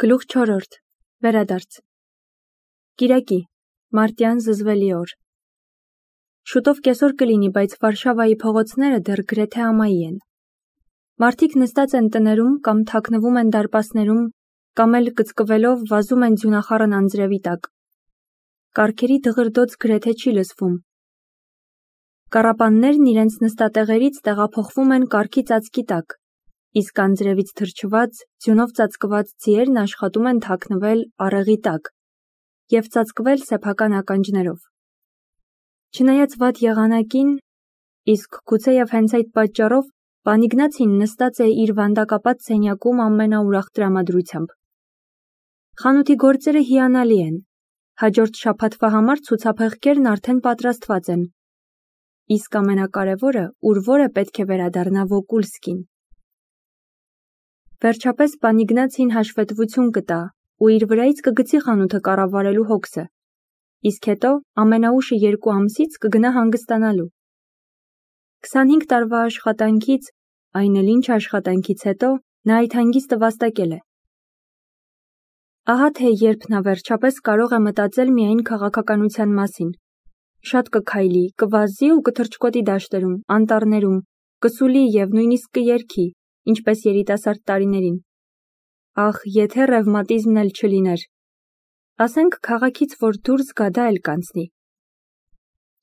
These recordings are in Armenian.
Գլուխ 4. Վերադարձ Կիրակի, մարտյան զզվելի օր։ Շուտով կեսօր կլինի, բայց Վարշավայի փողոցները դեռ գրեթե ամայի են։ Մարդիկ նստած են տներում կամ թաքնվում են դարպասներում, կամ էլ կծկվելով վազում են ձյունախառն անձրևի տակ։ Կառքերի դղրդոց գրեթե չի լսվում։ Կառապաններն իրենց նստատեղերից տեղափոխվում են կառքի ծածկի տակ, իսկ անձրևից թրջված, ձյունով ծածկված ձիերն աշխատում են թաքնվել առեղի տակ և ծածկվել սեփական ականջներով։ Չնայած վատ եղանակին, իսկ գուցեև հենց այդ պատճառով, պան Իգնացին նստած է իր վանդակապատ սենյակում ամենաուրախ տրամադրությամբ։ Խանութի գործերը հիանալի են, հաջորդ շաբաթվա համար ցուցափեղկերն արդեն պատրաստված են, իսկ ամենակարևորը ուրվորը պետք է վերադառնա Վոկուլսկին։ Վերջապես պան Իգնացին հաշվետվություն կտա ու իր վրայից կգցի խանութը կառավարելու հոգսը, իսկ հետո ամենաուշը 2 ամսից կգնա հանգստանալու։ 25 տարվա աշխատանքից, այն էլ ինչ աշխատանքից հետո, նա այդ հանգիստը վաստակել է։ Ահա թե երբ նա վերջապես կարող է մտածել միայն քաղաքականության մասին։ Շատ կքայլի, կվազի ու կթռչկոտի դաշտերում, անտառներում, կսուլի և նույնիսկ կերգի, ինչպես երիտասարդ տարիներին։ Ախ, եթե ռևմատիզմն էլ չլիներ։ Ասենք քաղաքից որ դուրս գա, դա էլ կանցնի։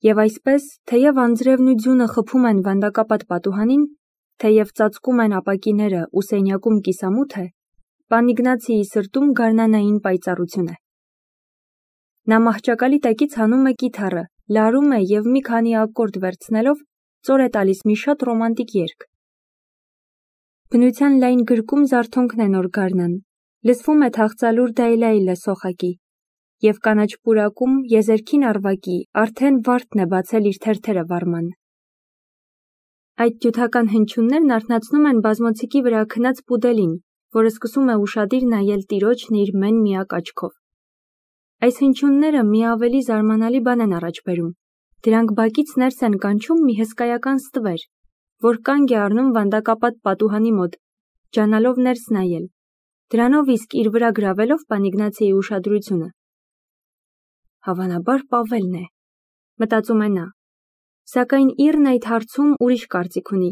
Եվ այսպես, թեև անձրևն ու ձյունը խփում են վանդակապատ պատուհանին, թեև ծածկում են ապակիները ու սենյակում կիսամութ է, պան Իգնացիի սրտում գարնանային պայծառություն է։ Նա մահճակալի տակից հանում է կիթառը, լարում է և մի քանի ակորդ վերցնելով ծոր է տալիս մի շատ ռոմանտիկ երգ։ Բնության լայն գրկում զարթոնքն է նոր գարնան, լսվում է թախծալուր դայլայլը սոխակի, և կանաչ պուրակում եզերքին առվակի արդեն վարդն է բացել իր թերթերը վարման։ Այդ ջութական հնչյուններն արթնացնում են բազմոցիկի վրա քնած պուդելին, որը սկսում է ուշադիր նայել տիրոջն իր մեն միակ աչքով։ Այս հնչյունները մի ավելի զարմանալի բան են առաջ բերում։ Դրանք բակից ներս են կանչում մի հսկայական ստվեր, որ կանգ է առնում վանդակապատ պատուհանի մոտ, ջանալով ներս նայել, դրանով իսկ իր վրա գրավելով պան Իգնացիի ուշադրությունը։ Հավանաբար Պավելն է, մտածում է նա, սակայն Իռն այդ հարցում ուրիշ կարծիք ունի։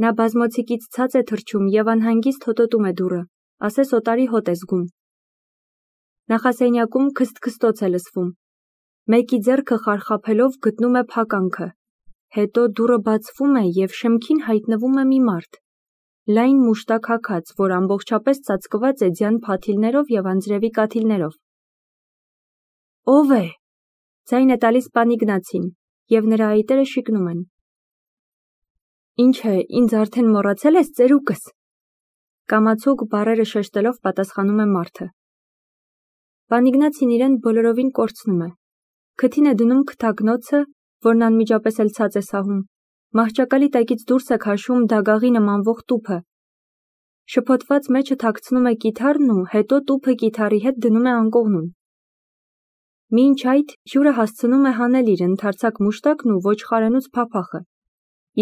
Նա բազմոցիկից ցած է թռչում և անհանգիստ հոտոտում է դուռը, ասես օտարի հոտ է զգում։ Նախասենյակում քսթքստոց է լսվում։ Մեկի ձեռքը խարխափելով գտնում է փականքը, հետո դուռը բացվում է և շեմքին հայտնվում է մի մարդ, լայն մուշտակ հագած, որ ամբողջապես ծածկված է ձյան փաթիլներով և անձրևի կաթիլներով։ Ո՞վ է, ձայն է տալիս պան Իգնացին, և նրա այտերը շիկնում են։ Ինչ է, ինձ արդեն մոռացել ես, ծերուկս։ Կամացուկ բառերը շեշտելով պատասխանում է մարդը։ Պան Իգնացին իրեն բոլորովին կորցնում է։ Քթին է դնում քթակնոցը, որն անմիջապես էլ ցած է սահում, մահճակալի տակից դուրս է քաշում դագաղի նմանվող տուփը։ Շփոթված մեջը թաքցնում է կիթառն ու հետո տուփը կիթառի հետ դնում է անկողնում։ Մինչ այդ հյուրը հասցնում է հանել իր ընդարձակ մուշտակն ու ոչխարենուց փափախը,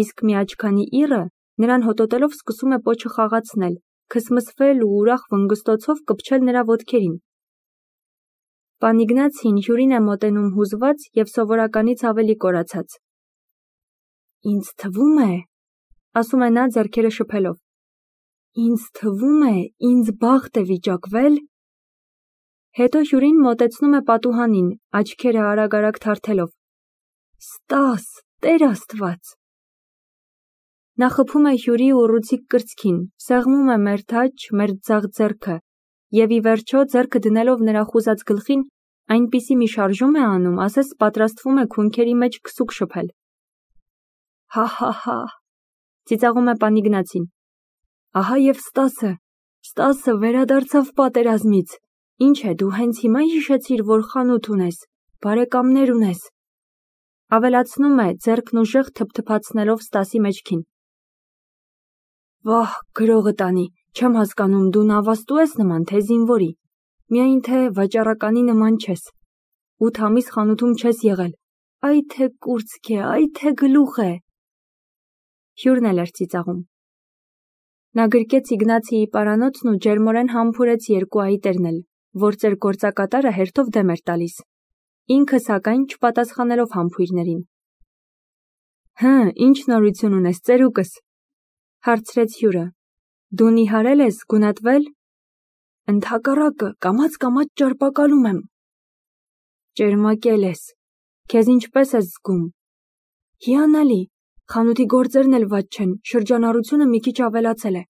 իսկ մի աչքանի Իռը նրան հոտոտելով սկսում է պոչը խաղացնել, քսմսվել ու ուրախ վնգստոցով կպչել նրա ոտքերին։ Պան Իգնացին հյուրին է մոտենում հուզված և սովորականից ավելի կորացած։ Ինձ թվում է, ասում է նա ձեռքերը շփելով, ինձ թվում է, ինձ բախտ է վիճակվել։ Հետո հյուրին մոտեցնում է պատուհանին, աչքերը արագ-արագ թարթելով։ Ստաս, Տեր Աստված։ Նա խփում է հյուրի ուռուցիկ կրծքին, սեղմում է մերթ աջ, մերթ ձախ ձեռքը և ի վերջո ձեռքը դնելով նրա խուզած գլխին, այնպիսի մի շարժում է անում, ասես պատրաստվում է քունքերի մեջ քսուկ շփել։ Հա, ծիծաղում է պան Իգնացին։ Ահա և Ստասը վերադարձավ պատերազմից։ Ինչ է, դու հենց հիմա հիշեցիր, որ խանութ ունես, բարեկամներ ունես։ Ավելացնում է, ձեռքն ուժեղ թփթփացնելով Ստասի մեջքին։ Վահ, գրողը տանի, չեմ հասկանում, դու նավաստու ես նման, թե զինվորի, միայն թե վաճառականի նման չես։ 8 ամիս խանութում չես եղել, այ թե կուրծք է, այ թե գլուխ է։ Հյուրն էլ էր ծիծաղում։ Նա գրկեց Իգնացիի պարանոցն ու ջերմորեն համբուրեց երկու այտերն էլ, որ ծեր գործակատարը հերթով դեմ էր տալիս։ Ինքը սակայն չպատասխանելով համբույրներին։ Ինչ նորություն ունես, ծերուկս, հարցրեց հյուրը։ Դու նիհարել ես, գունատվել։ Ընդհակառակը, կամաց ճարպակալում եմ։ Ճերմակել ես։ Քեզ ինչպես ես զգում։ Հիանալի, խանութի գործերն էլ վատ չեն, շրջանառությունը մի քիչ ավելացել է։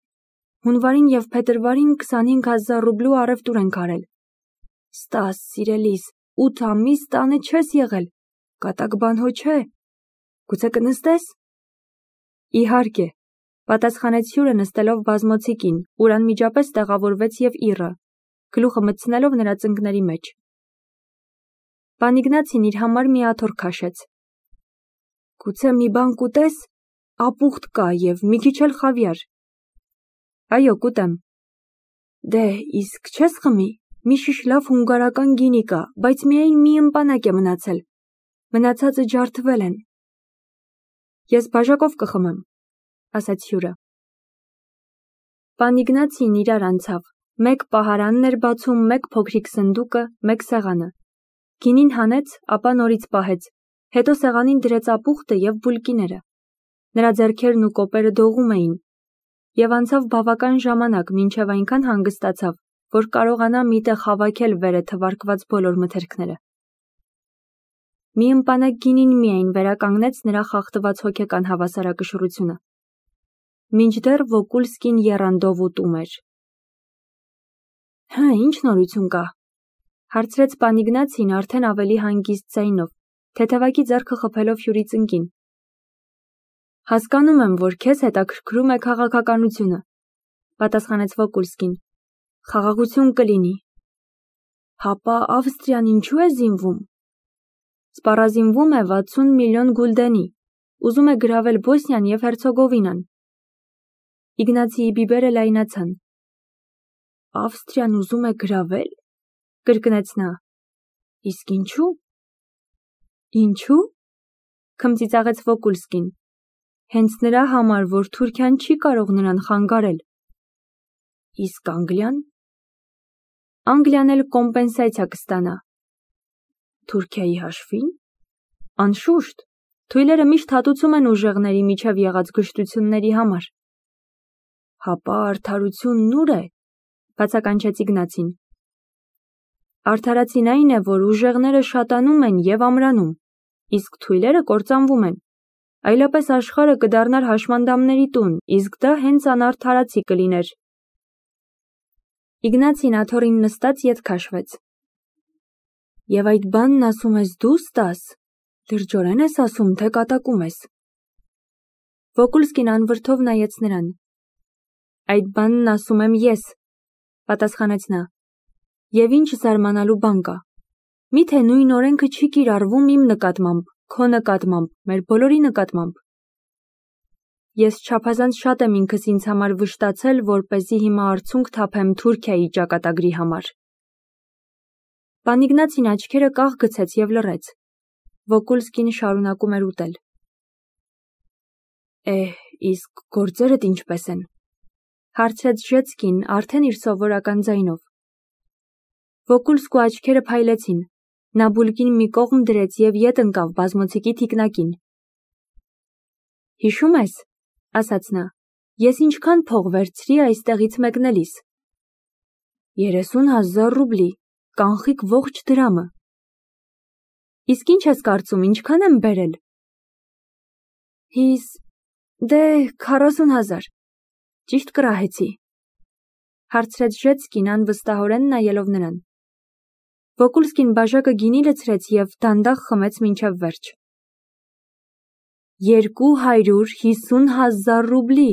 Հունվարին և փետրվարին 25,000 ռուբլու առևտուր ենք արել։ Ստաս, սիրելիս, 8 ամիս տանը չես եղել, կատակ բան հո չէ։ Գուցե կնստես։ Իհարկե, պատասխանեց հյուրը նստելով բազմոցիկին, ուր անմիջապես տեղավորվեց և իռը, գլուխը մտցնելով նրա ծնկների մեջ։ Պան Իգնացին իր համար մի աթոռ քաշեց։ Գուցե մի բան կուտես, ապուխտ կա և մի քիչ էլ խավիար։ Այո, կուտեմ։ Դե, իսկ չես խմի, մի շիշ լավ հունգարական գինի կա, բայց միայն մի ըմպանակ է մնացել, մնացածը ջարդվել են։ Ես բաժակով կխմեմ, ասաց հյուրը։ Պան Իգնացին իրար անցավ, մեկ պահարանն էր բացում, մեկ փոքրիկ սնդուկը, մեկ սեղանը։ Գինին հանեց, ապա նորից պահեց, հետո սեղանին դրեց ապուխտը և բուլկիները։ Նրա ձեռքերն ու կոպերը դողում էին, և անցավ բավական ժամանակ, մինչև այնքան հանգստացավ, որ կարողանա մի տեղ հավաքել վերը թվարկված բոլոր մթերքները։ Մի ըմպանակ գինին միայն վերականգնեց նրա խախտված հոգեկան հավասարակշռությունը։ Մինչդեռ Վոկուլսկին եռանդով ուտում էր։ Ինչ նորություն կա, հարցրեց պան Իգնացին արդեն ավելի հանգիստ ձայնով, թեթևակի ձեռքը խփելով հյուրի ծնկին։ Հասկանում եմ, որ քեզ հետաքրքրում է քաղաքականությունը, պատասխանեց Վոկուլսկին։ Խաղաղություն կլինի։ Հապա Ավստրիան ինչու է զինվում։ Սպառազինվում է 60 միլիոն գուլդենի, ուզում է գրավել Բոսնիան և Հերցեգովինան։ Իգնացիի բիբերը լայնացան։ Ավստրիան ուզում է գրավել, կրկնեց նա։ Իսկ ինչու։ Ինչու։ Քմծիծաղեց Վոկուլսկին։ Հենց նրա համար, որ Թուրքիան չի կարող նրան խանգարել։ Իսկ Անգլիան։ Անգլիան էլ կոմպենսացիա կստանա։ Թուրքիայի հաշվին։ Անշուշտ, թույլերը միշտ հատուցում են ուժեղների միջև եղած գժտությունների համար։ Հապա արդարությունն ուր է, բացականչեց Իգնացին։ Արդարացին այն է, որ ուժեղները շատանում են և ամրանում, իսկ թույլերը կործանվում են։ Այլապես աշխարհը կդառնար հաշմանդամների տուն, իսկ դա հենց անարդարացի կլիներ։ Իգնացին աթոռին նստած ետ քաշվեց։ Եվ այդ բանն ասում ես դու, Ստաս, լրջորեն ես ասում, թե կատակում ես։ Վոկուլսկին անվրդով նայեց նրան։ Այդ բանն ասում եմ ես, պատասխանեց նա։ Եվ ինչ զարմանալու բան կա։ Միթե նույն օրենքը չի կիրառվում իմ նկատմամբ, քո նկատմամբ, մեր բոլորի նկատմամբ։ Ես չափազանց շատ եմ ինքս ինձ համար վշտացել, որպեսզի հիմա արցունք թափեմ Թուրքիայի ճակատագրի համար։ Պան Իգնացին աչքերը կաղ գցեց և լռեց։ Վոկուլսկին շարունակում էր ուտել։ Իսկ գործերդ ինչպես են, հարցրեց Ժեցկին արդեն իր սովորական ձայնով։ Վոկուլսկու աչքերը փայլեցին, նա բուլկին մի կողմ դրեց և ետ ընկավ բազմոցիկի թիկնակին։ Հիշում ես, ասաց նա, ես ինչքան փող վերցրի այստեղից մեկնելիս։ 30,000 ռուբլի, կանխիկ ողջ դրամը։ Իսկ ինչ ես կարծում, ինչքան եմ բերել։ Դե 40,000, ճիշտ կռահեցի, հարցրեց Ժեցկին անվստահորեն նայելով նրան։ Վոկուլսկին բաժակը գինի լցրեց և դանդաղ խմեց մինչև վերջ։ 250,000 ռուբլի,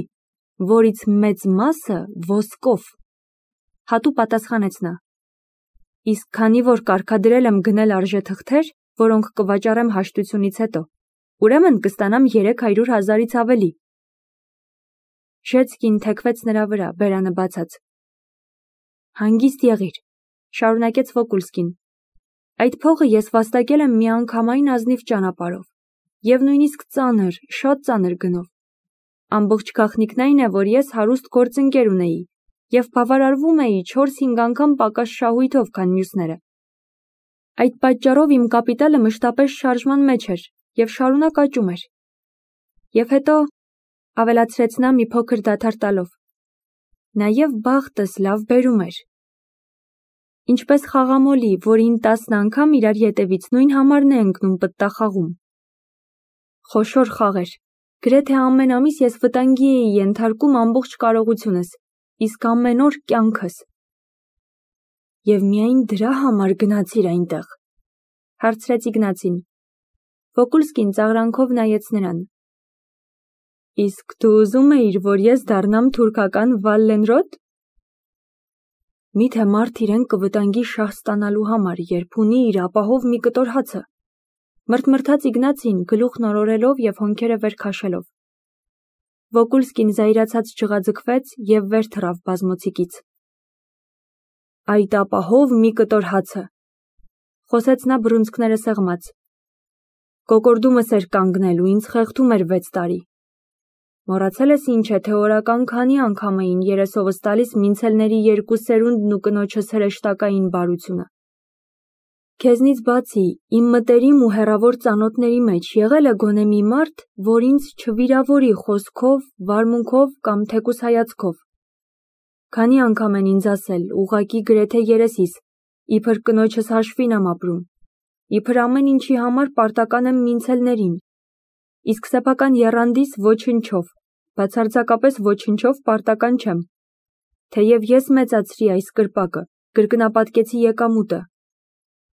որից մեծ մասը ոսկով, հատու պատասխանեց նա։ Իսկ քանի որ կարգադրել եմ գնել արժեթղթեր, որոնք կվաճառեմ հաշտությունից հետո, ուրեմն կստանամ 300,000-ից ավելի։ Ժեցկին թեքվեց նրա վրա, բերանը բացած։ Հանգիստ եղիր, շարունակեց Վոկուլսկին։ Այդ փողը ես վաստակել եմ միանգամայն ազնիվ ճանապարհով, և նույնիսկ ծանր, շատ ծանր գնով։ Ամբողջ գաղտնիքն այն է, որ ես հարուստ գործընկեր ունեի և բավարարվում էի 4-5 անգամ պակաս շահույթով, քան մյուսները։ Այդ պատճառով իմ կապիտալը մշտապես շարժման մեջ էր և շարունակ աճում էր։ Եվ հետո, ավելացրեց նա մի փոքր դադար տալով, նաև բախտս լավ բերում էր։ Ինչպես խաղամոլի, որին 10 անգամ իրար ետևից նույն համարն է ընկնում պտտախաղում։ Խոշոր խաղեր։ Գրեթե ամեն ամիս ես վտանգի էի ենթարկում ամբողջ կարողությունս, իսկ ամեն օր կյանքս։ Եվ միայն դրա համար գնացիր այնտեղ, հարցրեց Իգնացին։ Վոկուլսկին ծաղրանքով նայեց նրան։ Իսկ դու ուզում էիր, որ ես դառնամ թուրքական Վալլենրոտ։ Միթե մարդ իրեն կվտանգի շահ ստանալու համար, երբ ունի իր ապահով մի կտոր հացը։ Մրթմրթաց Իգնացին, գլուխն օրորելով և հոնքերը վեր քաշելով։ Վոկուլսկին զայրացած ջղաձգվեց և վեր թռավ բազմոցիկից։ Այդ ապահով մի կտոր հացը, խոսեց նա բռունցքները սեղմած։ Կոկորդումս էր կանգնել ու ինձ խեղդում էր 6 տարի։ Մոռացել ես ինչ է, թե օրական քանի անգամ էին երեսովս տալիս մինցելների 2 սերունդն ու կնոջս հրեշտակային բարությունը։ Քեզնից բացի, իմ մտերիմ ու հեռավոր ծանոթների մեջ եղել է գոնե մի մարդ, որ ինձ չվիրավորի խոսքով, վարմունքով կամ թեկուզ հայացքով։ Քանի անգամ են ինձ ասել, ուղղակի գրեթե երեսիս, իբր կնոջս հաշվին եմ ապրում, իբր ամեն ինչի համար պարտական եմ մինցելներին, իսկ սեփական եռանդիս ոչնչով, բացարձակապես ոչնչով պարտական չեմ։ Թեև ես մեծացրի այս կրպակը, կրկնապատկեցի եկամուտը։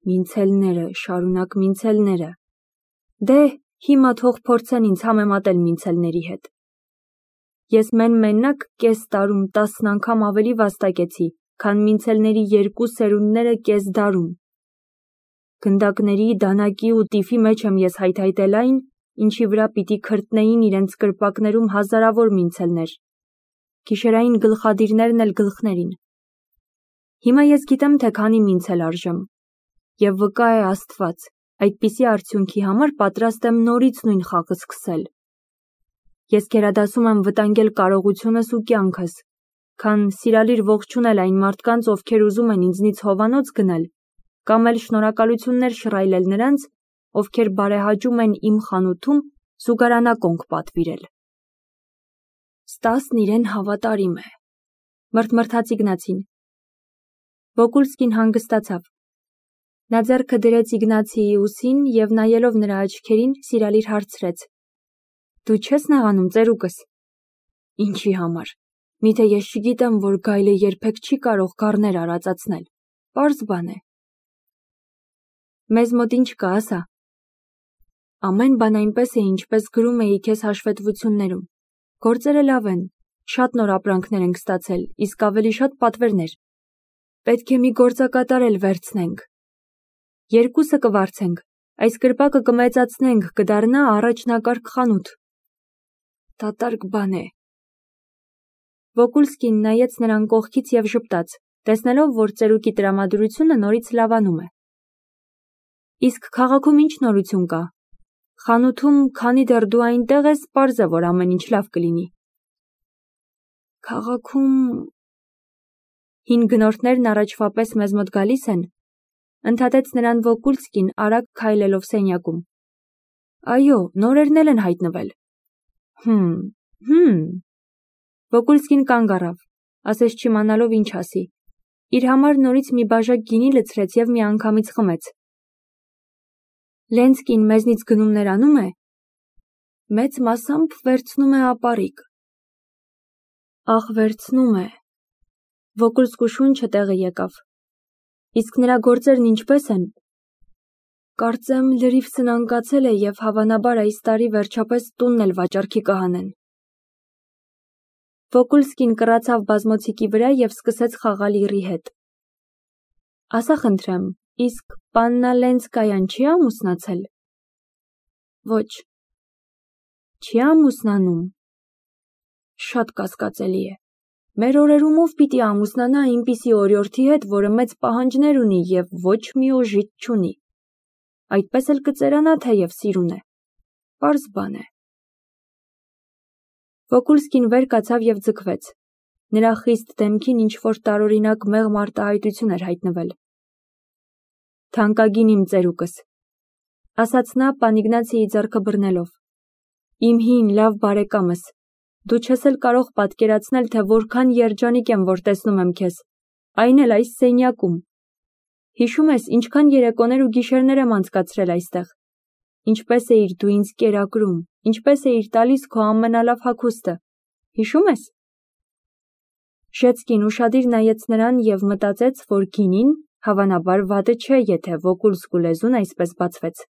Մինցելները, շարունակ մինցելները։ Դե, հիմա թող փորձեն ինձ համեմատել մինցելների հետ։ Ես մենմենակ կես տարում 10 անգամ ավելի վաստակեցի, քան մինցելների 2 սերունդները կես դարում։ Գնդակների, դանակի ու տիֆի մեջ եմ ես հայթայթել այն, ինչի վրա պիտի քրտնեին իրենց կրպակներում հազարավոր մինցելներ, գիշերային գլխադիրներն էլ գլխներին։ Հիմա ես գիտեմ, թե քանի մինցել արժեմ, և վկա է Աստված, այդպիսի արդյունքի համար պատրաստ եմ նորից նույն խաղը սկսել։ Ես գերադասում եմ վտանգել կարողությունս ու կյանքս, քան սիրալիր ողջունել այն մարդկանց, ովքեր ուզում են ինձնից հովանոց գնել, կամ էլ շնորհակալություններ շռայլել նրանց, ովքեր բարեհաճում են իմ խանութում զուգարանակոնք պատվիրել։ Ստասն իրեն հավատարիմ է, մրթմրթաց Իգնացին։ Վոկուլսկին հանգստացավ։ Նա ձեռքը դրեց Իգնացիի ուսին և նայելով նրա աչքերին սիրալիր հարցրեց. Դու չես նեղանում, ծերուկս։ Ինչի համար։ Միթե ես չգիտեմ, որ գայլը երբեք չի կարող գառներ արածացնել։ Պարզ բան է։ Մեզ մոտ ինչ կա, ասա։ Ամեն բան այնպես է, ինչպես գրում էի քեզ հաշվետվություններում։ Գործերը լավ են, շատ նոր ապրանքներ ենք ստացել, իսկ ավելի շատ պատվերներ։ Պետք է մի գործակատար էլ վերցնենք։ 2-ը կվարձենք, այս կրպակը կմեծացնենք, կդառնա առաջնակարգ խանութ։ Դատարկ բան է։ Վոկուլսկին նայեց նրան կողքից և ժպտաց, տեսնելով, որ ծերուկի տրամադրությունը նորից լավանում է։ Իսկ քաղաքում ինչ նորություն կա։ Խանութում, քանի դեռ դու այնտեղ ես, պարզ է, որ ամեն ինչ լավ կլինի։ Քաղաքում հին գնորդներն առաջվա պես մեզ մոտ գալիս են, ընդհատեց նրան Վոկուլսկին արագ քայլելով սենյակում։ Այո, նորերն են հայտնվել։ Վոկուլսկին կանգ առավ, ասես չիմանալով ինչ ասի։ Իր համար նորից մի բաժակ գինի լցրեց և միանգամից խմեց։ Լենսկին մեզնից գնումներ անում է։ Մեծ մասամբ վերցնում է ապառիկ։ Ախ, վերցնում է։ Վոկուլսկու շունչը տեղը եկավ։ Իսկ նրա գործերն ինչպես են։ Կարծեմ լրիվ սնանկացել է և հավանաբար այս տարի վերջապես տունն էլ վաճառքի կհանեն։ Վոկուլսկին կռացավ բազմոցիկի վրա և սկսեց խաղալ իռի հետ։ Ասա խնդրեմ, իսկ պաննա Լենսկայան չի ամուսնացել։ Ոչ։ Չի ամուսնանում։ Շատ կասկածելի է։ Մեր օրերում ով պիտի ամուսնանա այնպիսի օրիորդի հետ, որը մեծ պահանջներ ունի և ոչ մի օժիտ չունի։ Այդպես էլ կծերանա, թեև սիրուն է։ Պարզ բան է։ Վոկուլսկին վեր կացավ և ձգվեց. նրա խիստ դեմքին ինչ-որ տարօրինակ մեղմ արտահայտություն էր հայտնվել։ «Թանկագին իմ ծերուկս», ասաց նա Պանիգնացիի ձեռքը բռնելով, իմ հին լավ բարեկամս, դու չես էլ կարող պատկերացնել, թե որքան երջանիկ եմ, որ տեսնում եմ քեզ, այն էլ այս սենյակում։ Հիշում ես, ինչքան երեկոներ ու գիշերներ եմ անցկացրել այստեղ, ինչպես էիր դու ինձ կերակրում, ինչպես էիր տալիս քո ամենալավ հագուստը, հիշում ես։ Շեցկին ուշադիր նայեց նրան և մտածեց, որ գինին, հավանաբար, վատը չէ, եթե Վոկուլսկու լեզուն այսպես բացվեց։